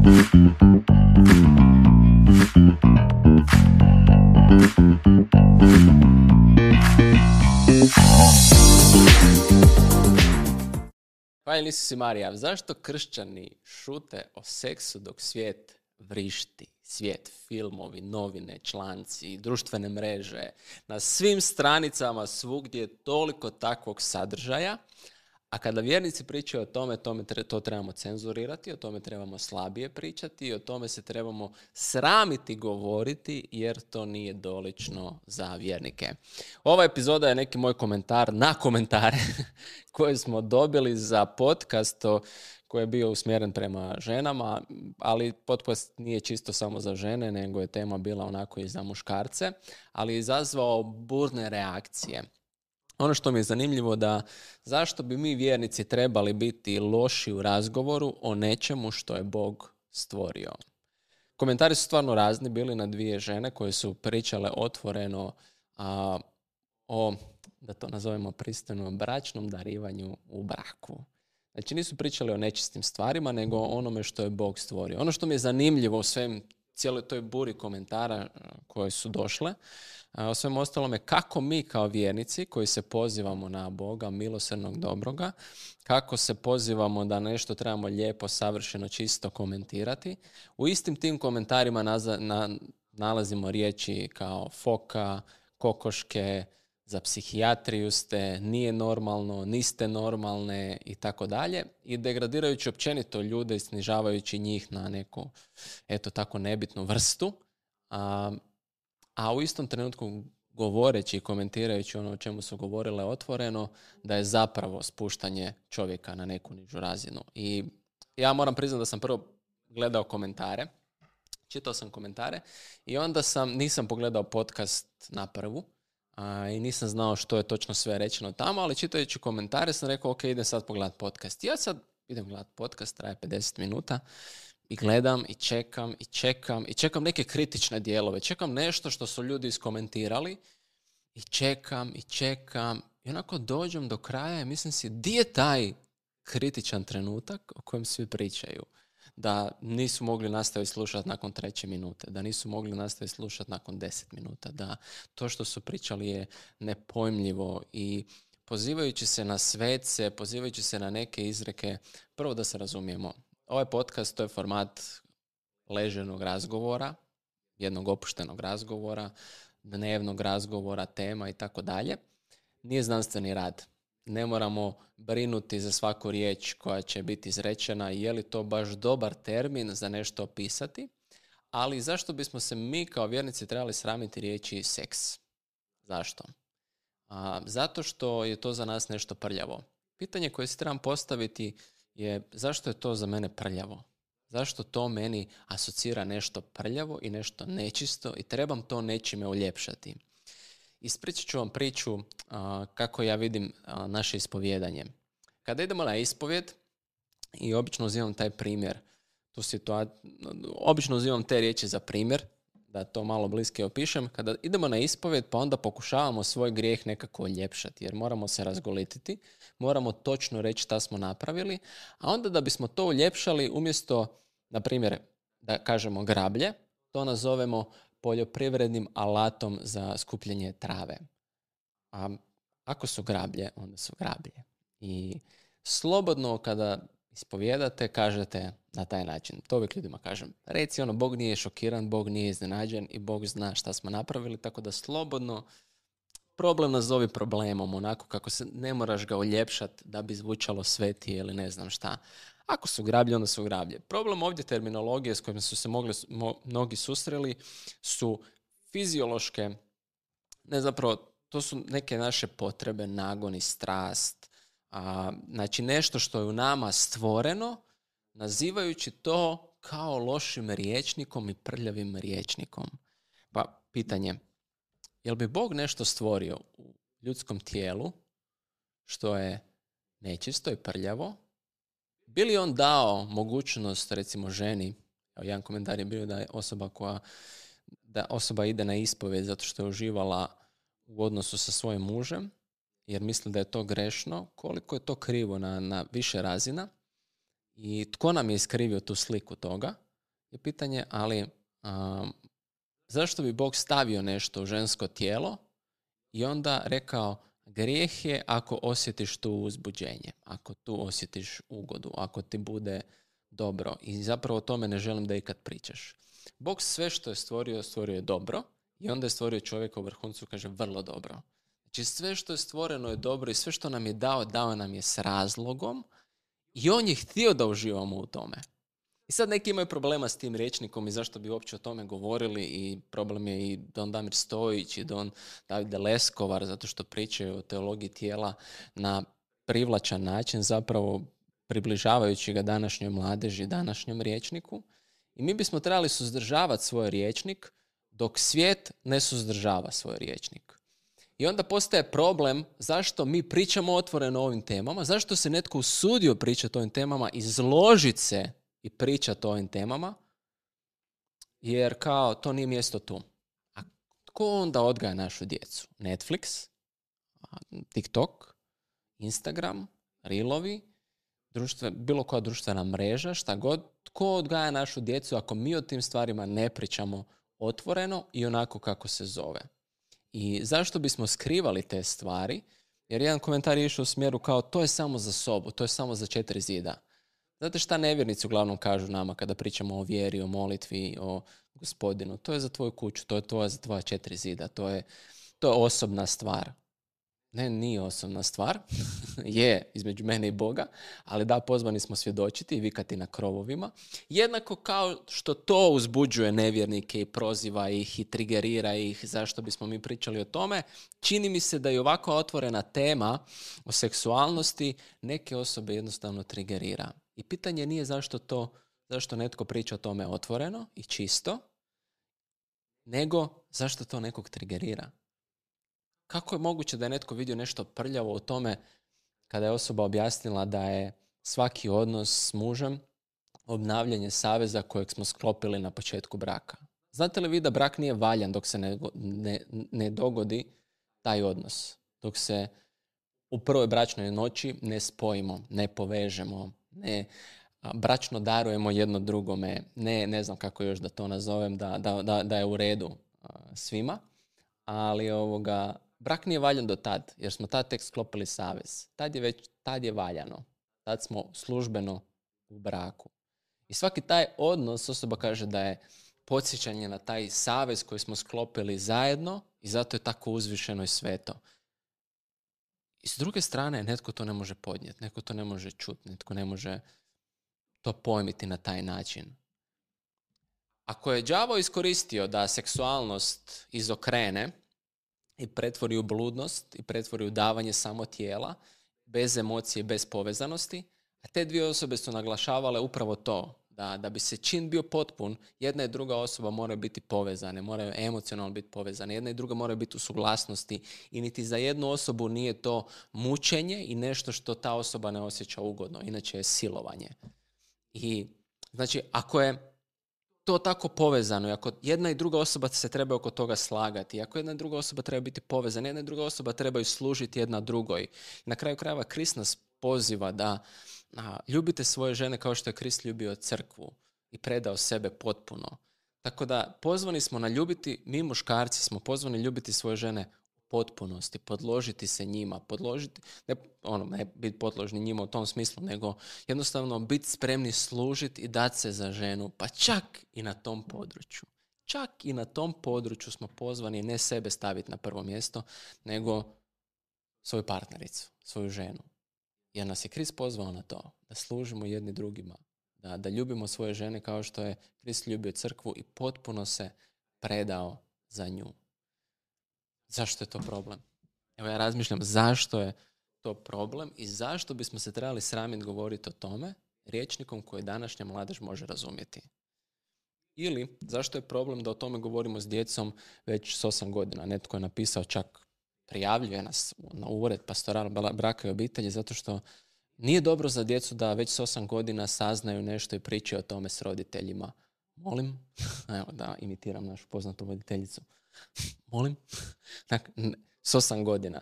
Hvala si Marija, zašto kršćani šute o seksu dok svijet vrišti? Svijet, filmovi, novine, članci, društvene mreže, na svim stranicama svugdje je toliko takvog sadržaja, a kada vjernici pričaju o tome, to trebamo cenzurirati, o tome trebamo slabije pričati i o tome se trebamo sramiti govoriti jer to nije dolično za vjernike. Ova epizoda je neki moj komentar na komentare koje smo dobili za podcast koji je bio usmjeren prema ženama, ali podcast nije čisto samo za žene, nego je tema bila onako i za muškarce, ali je izazvao burne reakcije. Ono što mi je zanimljivo da zašto bi mi vjernici trebali biti loši u razgovoru o nečemu što je Bog stvorio. Komentari su stvarno razni bili na dvije žene koje su pričale otvoreno o, da to nazovemo pristojno, bračnom darivanju u braku. Znači nisu pričali o nečistim stvarima, nego o onome što je Bog stvorio. Ono što mi je zanimljivo u cijeloj toj buri komentara koje su došle, o svem ostalome, kako mi kao vjernici koji se pozivamo na Boga, milosrdnog dobroga, kako se pozivamo da nešto trebamo lijepo, savršeno, čisto komentirati, u istim tim komentarima nalazimo riječi kao foka, kokoške, za psihijatriju ste, nije normalno, niste normalne i tako dalje. I degradirajući općenito ljude i snižavajući njih na neku, eto tako, nebitnu vrstu. A u istom trenutku govoreći i komentirajući ono o čemu su govorile otvoreno, da je zapravo spuštanje čovjeka na neku nižu razinu. I ja moram priznati da sam prvo gledao komentare, čitao sam komentare i onda nisam pogledao podcast na prvu, i nisam znao što je točno sve rečeno tamo, ali čitajući komentare sam rekao, ok, idem sad pogledati podcast. Ja sad idem gledati podcast, traje 50 minuta i gledam i čekam neke kritične dijelove. Čekam nešto što su ljudi iskomentirali i čekam i onako dođem do kraja i mislim si, di je taj kritičan trenutak o kojem svi pričaju? Da nisu mogli nastaviti slušati nakon 3. minute, da nisu mogli nastaviti slušati nakon 10 minuta, da to što su pričali je nepojmljivo i pozivajući se na svece, pozivajući se na neke izreke, prvo da se razumijemo, ovaj podcast to je format leženog razgovora, jednog opuštenog razgovora, dnevnog razgovora, tema i tako dalje. Nije znanstveni rad. Ne moramo brinuti za svaku riječ koja će biti izrečena, je li to baš dobar termin za nešto opisati, ali zašto bismo se mi kao vjernici trebali sramiti riječi seks? Zašto? Zato što je to za nas nešto prljavo. Pitanje koje si trebam postaviti je zašto je to za mene prljavo? Zašto to meni asocira nešto prljavo i nešto nečisto i trebam to nečime uljepšati? Ispričat ću vam priču kako ja vidim naše ispovijedanje. Kada idemo na ispovijed, i obično uzimam taj primjer, obično uzimam te riječi za primjer, da to malo bliske opišem. Kada idemo na ispovijed, pa onda pokušavamo svoj grijeh nekako uljepšati, jer moramo se razgolititi, moramo točno reći šta smo napravili, a onda da bismo to uljepšali, umjesto, na primjer, da kažemo grablje, to nazovemo poljoprivrednim alatom za skupljanje trave. A ako su grablje, onda su grablje. I slobodno kada ispovijedate, kažete na taj način. To uvijek ljudima kažem. Reci Bog nije šokiran, Bog nije iznenađen i Bog zna šta smo napravili, tako da slobodno problem nazovi problemom, onako kako se ne moraš ga uljepšati da bi zvučalo svetije ili ne znam šta. Ako su grablje, onda su grablje. Problem ovdje terminologije s kojima su se mnogi susreli su fiziološke, to su neke naše potrebe, nagon i strast. Znači nešto što je u nama stvoreno, nazivajući to kao lošim rječnikom i prljavim rječnikom. Pa pitanje, jel bi Bog nešto stvorio u ljudskom tijelu što je nečisto i prljavo? Bi li on dao mogućnost, recimo ženi, jedan komentar je bio da je osoba ide na ispovijed zato što je uživala u odnosu sa svojim mužem, jer misli da je to grešno, koliko je to krivo na više razina i tko nam je iskrivio tu sliku toga. je pitanje, ali zašto bi Bog stavio nešto u žensko tijelo i onda rekao grijeh je ako osjetiš tu uzbuđenje, ako tu osjetiš ugodu, ako ti bude dobro. I zapravo o tome ne želim da ikad pričaš. Bog sve što je stvorio je dobro i onda je stvorio čovjeka u vrhuncu, kaže vrlo dobro. Znači sve što je stvoreno je dobro i sve što nam je dao nam je s razlogom i on je htio da uživamo u tome. I sad neki imaju problema s tim rječnikom i zašto bi uopće o tome govorili i problem je i Don Damir Stojić i Don David Leskovar zato što pričaju o teologiji tijela na privlačan način, zapravo približavajući ga današnjoj mladeži, današnjem rječniku. I mi bismo trebali suzdržavati svoj rječnik dok svijet ne suzdržava svoj rječnik. I onda postaje problem zašto mi pričamo otvoreno o ovim temama, zašto se netko usudio pričati o ovim temama, izložiti se i pričati o ovim temama, jer kao to nije mjesto tu. A tko onda odgaja našu djecu? Netflix, TikTok, Instagram, Reelovi, bilo koja društvena mreža, šta god. Tko odgaja našu djecu ako mi o tim stvarima ne pričamo otvoreno i onako kako se zove? I zašto bismo skrivali te stvari? Jer jedan komentar je išao u smjeru kao to je samo za sobu, to je samo za 4 zida. Znate šta nevjernici uglavnom kažu nama kada pričamo o vjeri, o molitvi, o Gospodinu? To je za tvoju kuću, to je za tvoja 4 zida, to je osobna stvar. Ne, nije osobna stvar, je između mene i Boga, ali da, pozvani smo svjedočiti i vikati na krovovima. Jednako kao što to uzbuđuje nevjernike i proziva ih i trigerira ih, zašto bismo mi pričali o tome, čini mi se da je ovako otvorena tema o seksualnosti neke osobe jednostavno trigerira. I pitanje nije zašto netko priča o tome otvoreno i čisto, nego zašto to nekog trigerira. Kako je moguće da je netko vidio nešto prljavo u tome kada je osoba objasnila da je svaki odnos s mužem obnavljanje saveza kojeg smo sklopili na početku braka? Znate li vi da brak nije valjan dok se ne dogodi taj odnos? Dok se u prvoj bračnoj noći ne spojimo, ne povežemo, ne bračno darujemo jedno drugome, ne znam kako još da to nazovem, da je u redu svima, ali brak nije valjan do tad, jer smo tad tek sklopili savez. Tad je valjano. Tad smo službeno u braku. I svaki taj odnos, osoba kaže da je podsjećanje na taj savez koji smo sklopili zajedno i zato je tako uzvišeno i sveto. I s druge strane, netko to ne može podnijeti, netko to ne može čuti, netko ne može to pojmiti na taj način. Ako je đavo iskoristio da seksualnost izokrene i pretvori u bludnost i pretvori u davanje samo tijela, bez emocije, bez povezanosti, a te dvije osobe su naglašavale upravo to, da bi se čin bio potpun, jedna i druga osoba moraju biti povezane, moraju emocionalno biti povezane, jedna i druga moraju biti u suglasnosti i niti za jednu osobu nije to mučenje i nešto što ta osoba ne osjeća ugodno, inače je silovanje. I znači, ako je to tako povezano i ako jedna i druga osoba se treba oko toga slagati, ako jedna i druga osoba treba biti povezana, jedna i druga osoba trebaju služiti jedna drugoj. Na kraju krajeva Krist nas poziva da ljubite svoje žene kao što je Krist ljubio crkvu i predao sebe potpuno. Tako da pozvani smo na ljubiti, mi muškarci smo pozvani ljubiti svoje žene u potpunosti, podložiti se njima, ne biti podložni njima u tom smislu, nego jednostavno biti spremni služiti i dati se za ženu, pa čak i na tom području. Čak i na tom području smo pozvani ne sebe staviti na prvo mjesto, nego svoju partnericu, svoju ženu. Jer nas je Krist pozvao na to, da služimo jedni drugima, da ljubimo svoje žene kao što je Krist ljubio crkvu i potpuno se predao za nju. Zašto je to problem? Evo ja razmišljam zašto je to problem i zašto bismo se trebali sramiti govoriti o tome rječnikom koji današnja mladež može razumjeti. Ili zašto je problem da o tome govorimo s djecom već s 8 godina. Netko je napisao, čak prijavljuje nas na ured pastoral braka i obitelji zato što nije dobro za djecu da već s 8 godina saznaju nešto i pričaju o tome s roditeljima. Molim, evo da imitiram našu poznatu voditeljicu. Molim, s 8 godina.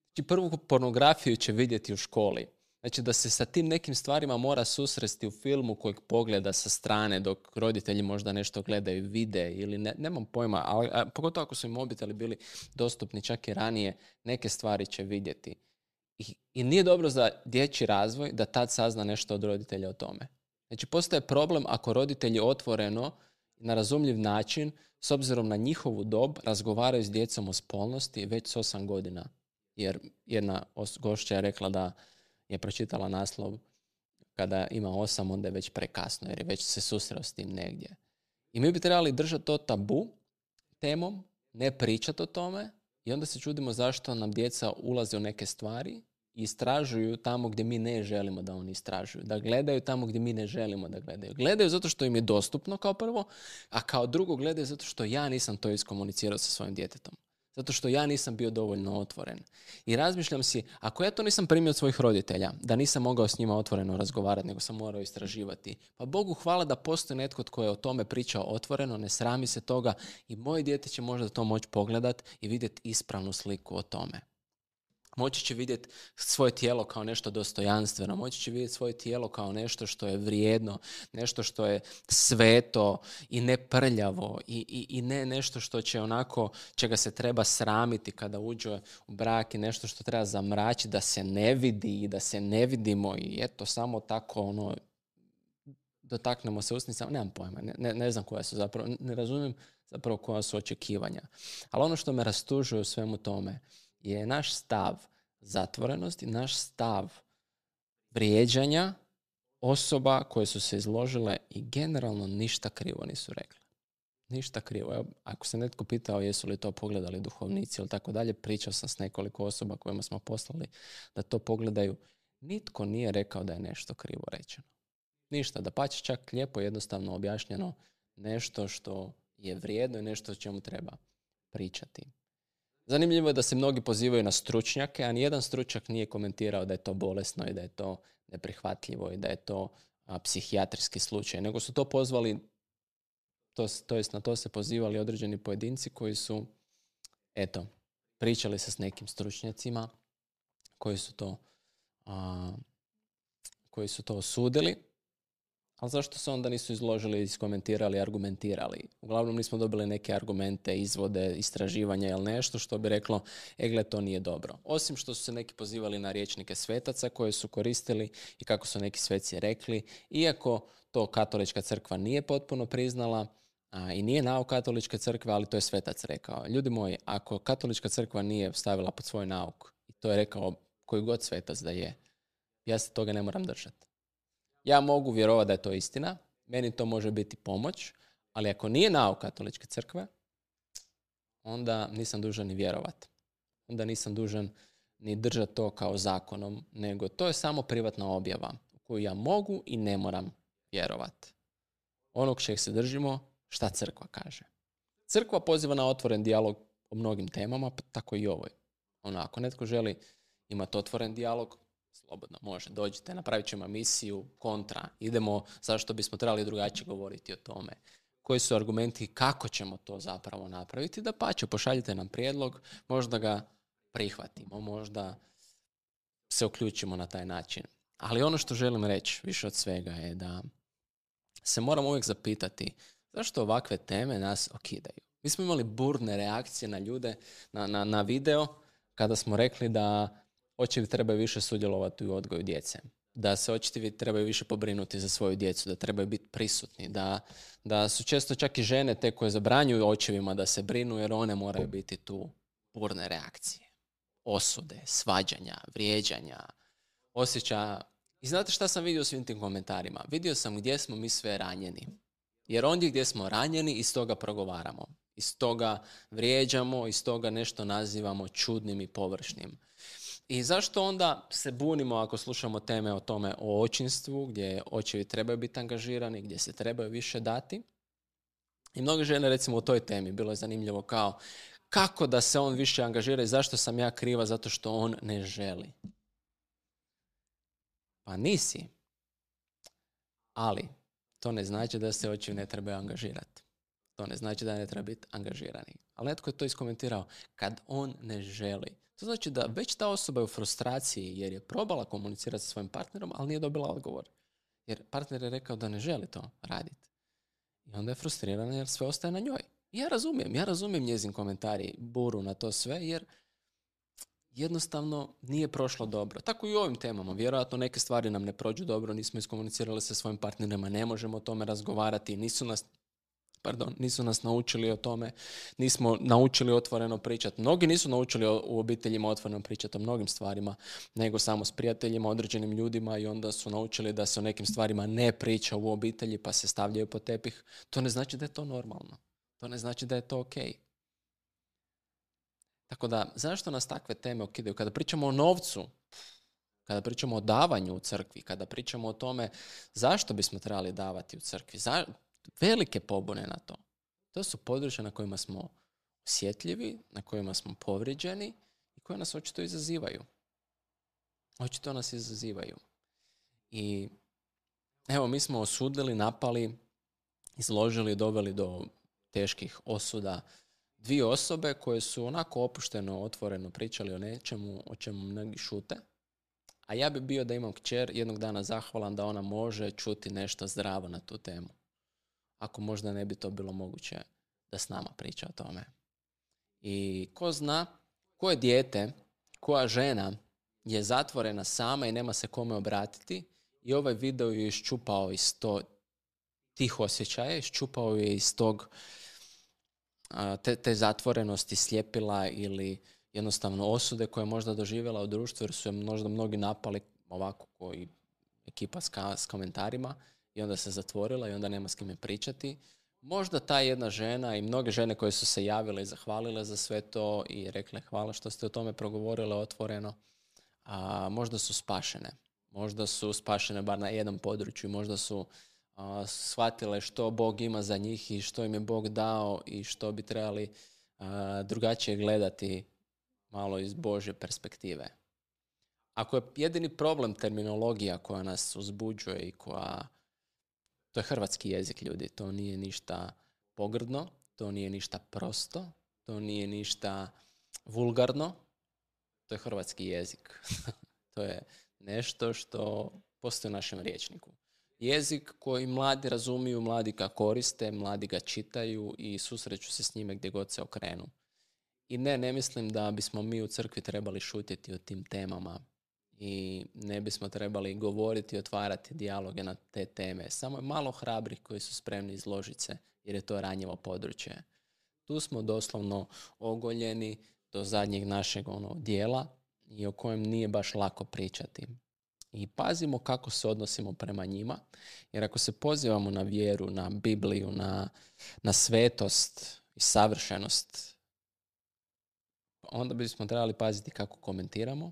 Znači prvu pornografiju će vidjeti u školi. Znači da se sa tim nekim stvarima mora susresti u filmu kojeg pogleda sa strane dok roditelji možda nešto gledaju, vide ili nemam pojma, ali pogotovo ako su im mobiteli bili dostupni čak i ranije, neke stvari će vidjeti. I nije dobro za dječji razvoj da tad sazna nešto od roditelja o tome. Znači postaje problem ako roditelji otvoreno na razumljiv način, s obzirom na njihovu dob, razgovaraju s djecom o spolnosti već s 8 godina. Jer jedna gošća je rekla da je pročitala naslov kada ima 8, onda je već prekasno, jer je već se susreo s tim negdje. I mi bi trebali držati to tabu temom, ne pričati o tome, i onda se čudimo zašto nam djeca ulaze u neke stvari i istražuju tamo gdje mi ne želimo da oni istražuju. Da gledaju tamo gdje mi ne želimo da gledaju. Gledaju zato što im je dostupno kao prvo, a kao drugo gledaju zato što ja nisam to iskomunicirao sa svojim djetetom. Zato što ja nisam bio dovoljno otvoren. I razmišljam si, ako ja to nisam primio od svojih roditelja, da nisam mogao s njima otvoreno razgovarati, nego sam morao istraživati, pa Bogu hvala da postoji netko tko je o tome pričao otvoreno, ne srami se toga i moje dijete će možda to moći pogledat i vidjeti ispravnu sliku o tome. Moći će vidjeti svoje tijelo kao nešto dostojanstveno, moći će vidjeti svoje tijelo kao nešto što je vrijedno, nešto što je sveto i ne prljavo i ne nešto što će onako, čega se treba sramiti kada uđe u brak i nešto što treba zamračiti, da se ne vidi i da se ne vidimo i eto samo tako dotaknemo se usnicama, nemam pojma, ne znam koja su zapravo, ne razumijem zapravo koja su očekivanja. Ali ono što me rastužuje u svemu tome je naš stav zatvorenosti, naš stav vrijeđanja osoba koje su se izložile i generalno ništa krivo nisu rekli. Ništa krivo. Evo, ako se netko pitao jesu li to pogledali duhovnici ili tako dalje, pričao sam s nekoliko osoba kojima smo poslali da to pogledaju. Nitko nije rekao da je nešto krivo rečeno. Ništa, dapače čak lijepo jednostavno objašnjeno nešto što je vrijedno i nešto o čemu treba pričati. Zanimljivo je da se mnogi pozivaju na stručnjake, a nijedan stručnjak nije komentirao da je to bolesno i da je to neprihvatljivo i da je to psihijatrijski slučaj, nego su to pozvali, to jest na to se pozivali određeni pojedinci koji su, pričali se s nekim stručnjacima koji su to osudili. Ali zašto se onda nisu izložili, iskomentirali, argumentirali? Uglavnom nismo dobili neke argumente, izvode, istraživanja ili nešto što bi reklo, gle, to nije dobro. Osim što su se neki pozivali na rječnike svetaca koje su koristili i kako su neki sveci rekli, iako to katolička crkva nije potpuno priznala i nije nauk katoličke crkve, ali to je svetac rekao. Ljudi moji, ako katolička crkva nije stavila pod svoj nauk, i to je rekao koji god svetac da je, ja se toga ne moram držati. Ja mogu vjerovati da je to istina, meni to može biti pomoć, ali ako nije nauk katoličke crkve, onda nisam dužan ni vjerovati. Onda nisam dužan ni držati to kao zakonom, nego to je samo privatna objava u koju ja mogu i ne moram vjerovati. Onog čeg se držimo, šta crkva kaže. Crkva poziva na otvoren dijalog o mnogim temama, pa tako i ovoj. Ako netko želi imati otvoren dijalog, slobodno može, dođite, napravit ćemo emisiju kontra, idemo zašto bismo trebali drugačije govoriti o tome. Koji su argumenti, kako ćemo to zapravo napraviti, dapače, pošaljite nam prijedlog, možda ga prihvatimo, možda se uključimo na taj način. Ali ono što želim reći više od svega je da se moramo uvijek zapitati zašto ovakve teme nas okidaju. Mi smo imali burne reakcije na ljude, na video, kada smo rekli da očevi trebaju više sudjelovati u odgoju djece. Da se očevi trebaju više pobrinuti za svoju djecu, da trebaju biti prisutni, da su često čak i žene te koje zabranjuju očevima da se brinu jer one moraju biti tu. Burne reakcije, osude, svađanja, vrijeđanja, osjećaja. I znate šta sam vidio u svim tim komentarima? Vidio sam gdje smo mi sve ranjeni. Jer ondje gdje smo ranjeni, iz toga progovaramo. Iz toga vrijeđamo, iz toga nešto nazivamo čudnim i površnim. I zašto onda se bunimo ako slušamo teme o tome o očinstvu, gdje očevi trebaju biti angažirani, gdje se trebaju više dati? I mnoge žene, recimo u toj temi, bilo je zanimljivo kao kako da se on više angažira i zašto sam ja kriva zato što on ne želi. Pa nisi. Ali to ne znači da se očevi ne trebaju angažirati. To ne znači da ne treba biti angažirani. Ali netko je to iskomentirao. Kad on ne želi. To znači da već ta osoba je u frustraciji jer je probala komunicirati sa svojim partnerom, ali nije dobila odgovor. Jer partner je rekao da ne želi to raditi. I onda je frustrirana jer sve ostaje na njoj. I ja razumijem njezin komentar i buru na to sve, jer jednostavno nije prošlo dobro. Tako i u ovim temama. Vjerojatno neke stvari nam ne prođu dobro, nismo iskomunicirali sa svojim partnerima, ne možemo o tome razgovarati, nisu nas naučili o tome, nismo naučili otvoreno pričati. Mnogi nisu naučili u obiteljima otvoreno pričati o mnogim stvarima, nego samo s prijateljima, određenim ljudima, i onda su naučili da se o nekim stvarima ne priča u obitelji pa se stavljaju pod tepih. To ne znači da je to normalno. To ne znači da je to ok. Tako da, zašto nas takve teme okidaju? Kada pričamo o novcu, kada pričamo o davanju u crkvi, kada pričamo o tome zašto bismo trebali davati u crkvi, velike pobune na to. To su područja na kojima smo osjetljivi, na kojima smo povrijeđeni i koje nas očito izazivaju. Očito nas izazivaju. I evo, mi smo osudili, napali, izložili, doveli do teških osuda 2 osobe koje su onako opušteno, otvoreno pričali o nečemu o čemu mnogi šute. A ja bi bio, da imam kćer, jednog dana zahvalan da ona može čuti nešto zdravo na tu temu. Ako možda ne bi to bilo moguće da s nama priča o tome. I ko zna, koje dijete, koja žena je zatvorena sama i nema se kome obratiti, i ovaj video je iščupao iz tih osjećaja, iščupao je iz tog te zatvorenosti, sljepila ili jednostavno osude koje je možda doživjela u društvu, jer su je možda mnogi napali ovako koji ekipa s komentarima, i onda se zatvorila i onda nema s kime pričati. Možda ta jedna žena i mnoge žene koje su se javile i zahvalile za sve to i rekle hvala što ste o tome progovorile otvoreno, možda su spašene. Možda su spašene bar na jednom području, možda su shvatile što Bog ima za njih i što im je Bog dao i što bi trebali drugačije gledati malo iz Božje perspektive. Ako je jedini problem terminologija koja nas uzbuđuje i to je hrvatski jezik, ljudi, to nije ništa pogrdno, to nije ništa prosto, to nije ništa vulgarno, to je hrvatski jezik. To je nešto što postoji u našem rječniku. Jezik koji mladi razumiju, mladi ga koriste, mladi ga čitaju i susreću se s njime gdje god se okrenu. I ne mislim da bismo mi u crkvi trebali šutjeti o tim temama i ne bismo trebali govoriti i otvarati dijaloge na te teme. Samo je malo hrabrih koji su spremni izložiti se, jer je to ranjivo područje. Tu smo doslovno ogoljeni do zadnjeg našeg dijela i o kojem nije baš lako pričati. I pazimo kako se odnosimo prema njima, jer ako se pozivamo na vjeru, na Bibliju, na svetost i savršenost, onda bismo trebali paziti kako komentiramo,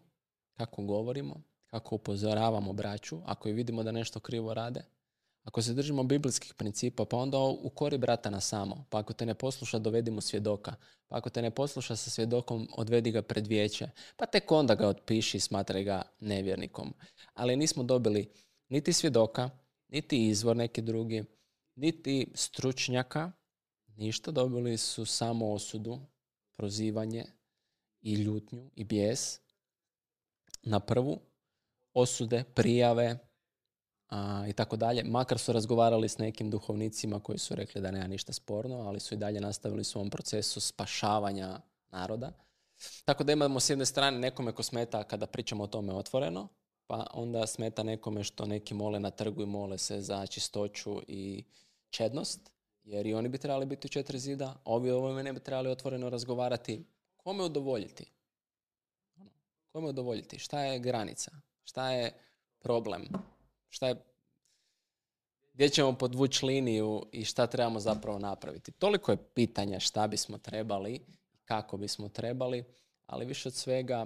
kako govorimo, kako upozoravamo braću, ako i vidimo da nešto krivo rade. Ako se držimo biblijskih principa, pa onda ukori brata na samo. Pa ako te ne posluša, dovedi mu svjedoka. Pa ako te ne posluša sa svjedokom, odvedi ga pred vijeće. Pa tek onda ga otpiši i smatraj ga nevjernikom. Ali nismo dobili niti svjedoka, niti izvor neki drugi, niti stručnjaka. Ništa, dobili su samo osudu, prozivanje i ljutnju i bijes na prvu, osude, prijave i tako dalje. Makar su razgovarali s nekim duhovnicima koji su rekli da nema ništa sporno, ali su i dalje nastavili u svom procesu spašavanja naroda. Tako da imamo s jedne strane nekome ko smeta kada pričamo o tome otvoreno, pa onda smeta nekome što neki mole na trgu i mole se za čistoću i čednost, jer i oni bi trebali biti u 4 zida, a ovi ovome ne bi trebali otvoreno razgovarati. Kome udovoljiti? Kome udovoljiti? Šta je granica? Šta je problem? Gdje ćemo podvući liniju i šta trebamo zapravo napraviti? Toliko je pitanja šta bismo trebali i kako bismo trebali, ali više od svega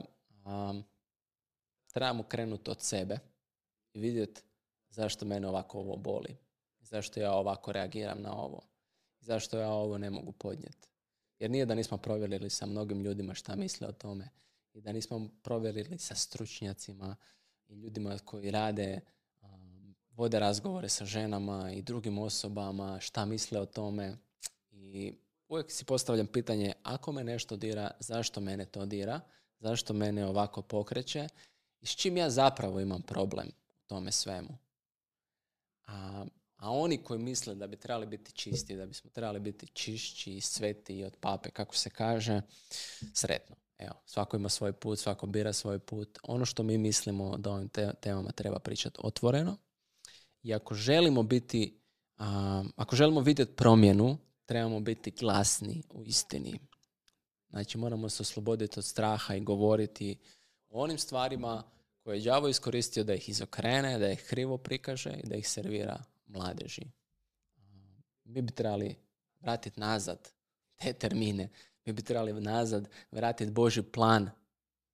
trebamo krenuti od sebe i vidjeti zašto mene ovako ovo boli. Zašto ja ovako reagiram na ovo. Zašto ja ovo ne mogu podnijeti. Jer nije da nismo provjerili sa mnogim ljudima šta misle o tome i da nismo provjerili sa stručnjacima i ljudima koji rade, vode razgovore sa ženama i drugim osobama, šta misle o tome. I uvijek si postavljam pitanje, ako me nešto dira, zašto mene to dira, zašto mene ovako pokreće i s čim ja zapravo imam problem u tome svemu. A oni koji misle da bi trebali biti čisti, da bismo trebali biti čišći i sveti od pape, kako se kaže, sretno. Evo, svako ima svoj put, svako bira svoj put. Ono što mi mislimo da ovim temama treba pričati otvoreno. I ako želimo vidjeti promjenu, trebamo biti glasni u istini. Znači, moramo se osloboditi od straha i govoriti o onim stvarima koje je đavo iskoristio da ih izokrene, da ih krivo prikaže i da ih servira mladeži. Mi bi trebali vratiti nazad te termine. Mi bi trebali nazad vratiti Božji plan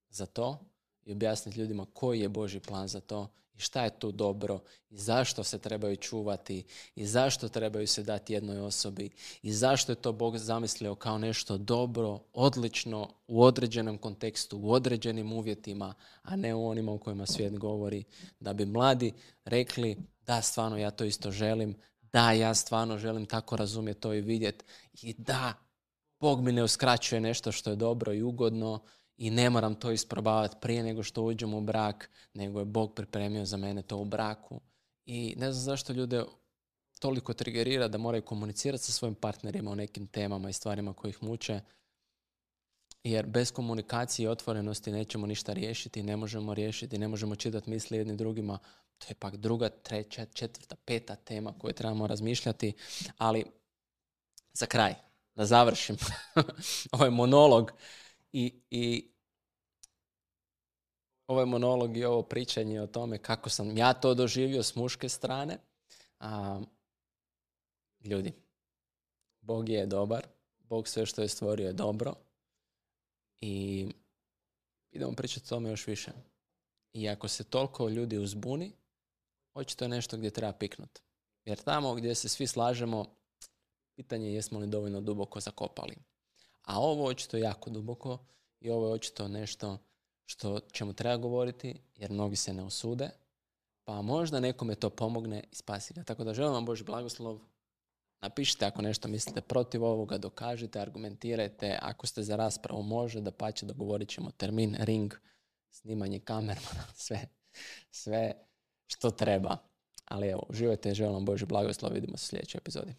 za to i objasniti ljudima koji je Božji plan za to i šta je tu dobro i zašto se trebaju čuvati i zašto trebaju se dati jednoj osobi i zašto je to Bog zamislio kao nešto dobro, odlično, u određenom kontekstu, u određenim uvjetima, a ne u onima u kojima svijet govori, da bi mladi rekli da, stvarno ja to isto želim, da, ja stvarno želim tako razumjeti to i vidjeti i da, Bog mi ne uskraćuje nešto što je dobro i ugodno i ne moram to isprobavati prije nego što uđem u brak, nego je Bog pripremio za mene to u braku. I ne znam zašto ljude toliko trigerira da moraju komunicirati sa svojim partnerima o nekim temama i stvarima koje ih muče, jer bez komunikacije i otvorenosti nećemo ništa riješiti, ne možemo čitati misli jedni drugima. To je pak druga, treća, četvrta, peta tema koju trebamo razmišljati, ali za kraj, da završim ovaj monolog i ovaj monolog i ovo pričanje o tome kako sam ja to doživio s muške strane. Ljudi, Bog je dobar, Bog sve što je stvorio je dobro i idemo pričati o tome još više. I ako se toliko ljudi uzbuni, očito je nešto gdje treba piknuti. Jer tamo gdje se svi slažemo, pitanje je jesmo li dovoljno duboko zakopali. A ovo očito je jako duboko i ovo je očito nešto što čemu treba govoriti, jer mnogi se ne usude, pa možda nekome to pomogne i spasi ga. Tako da želim vam Božji blagoslov. Napišite ako nešto mislite protiv ovoga, dokažite, argumentirajte. Ako ste za raspravu, može, dapače, dogovorit ćemo termin, ring, snimanje kamermana, sve što treba. Ali evo, uživajte, želim vam Božji blagoslov, vidimo se u sljedećoj epizodi.